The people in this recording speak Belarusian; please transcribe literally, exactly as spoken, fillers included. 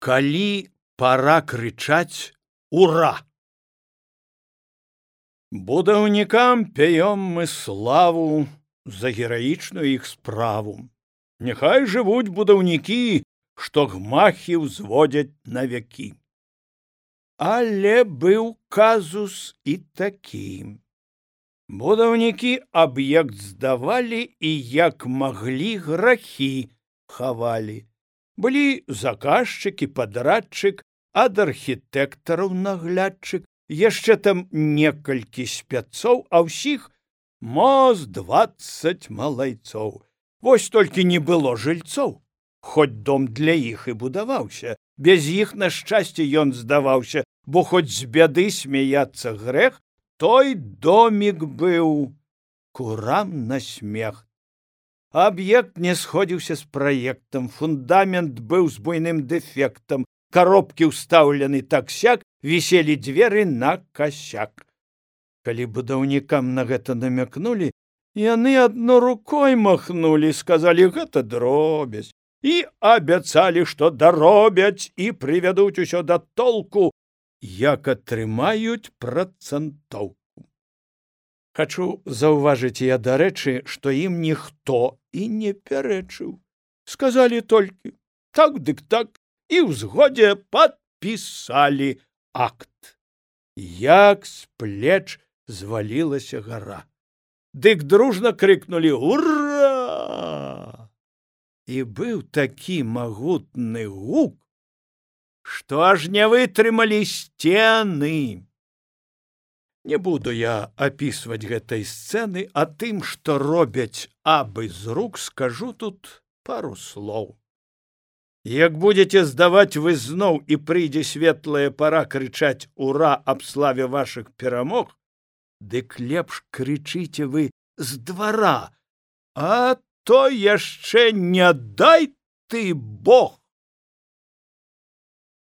Калі пара крычаць «Ура!». Будаўнікам пяём мы славу за гераічную іх справу. Няхай жывуць будаўнікі, што гмахі ўзводзяць на вякі. Але быў казус і такі. Будаўнікі аб'ект здавалі і як маглі грахі хавалі. Былі заказчык і падрадчык, ад архітэктараў наглядчык, яшчэ там некалькі спяцоў, а ўсіх мо з дваццаць малайцоў. Вось толькі не было жыльцоў, хоць дом для іх і будаваўся. Без іх, на шчасце, ён здаваўся, бо хоць з бяды смяяцца грэх, той домік быў курам на смех. Аб'ект не сходзіўся з праектам, фундамент быў з буйным дэфектам, коробкі ўстаўлены так-сяк, віселі дзверы на касяк. Калі будаўнікам на гэта намякнулі, яны адно рукой махнулі, сказалі, гэта дробязь, і абяцалі, што даробяць і прывядуць усё да толку, як атрымаюць працэнтоўку. Хачу заўважыць я, дарэчы, што ім ніхто і не пярэчыў. Сказалі толькі так дык так і ў згодзе падпісалі акт. Як з плеч звалілася гара. Дык дружна крыкнулі «Ура!». І быў такі магутны гук, што аж не вытрымалі сцены. Не буду я апісваць гэтай сцэны, а тым, што робяць абы з рук, скажу тут пару слоў. Як будзеце здаваць вы зноў і прыйдзе светлая пара крычаць «Ура!» аб славе вашых перамог, дык лепш крычыце вы з двара, а то яшчэ не дай ты Бог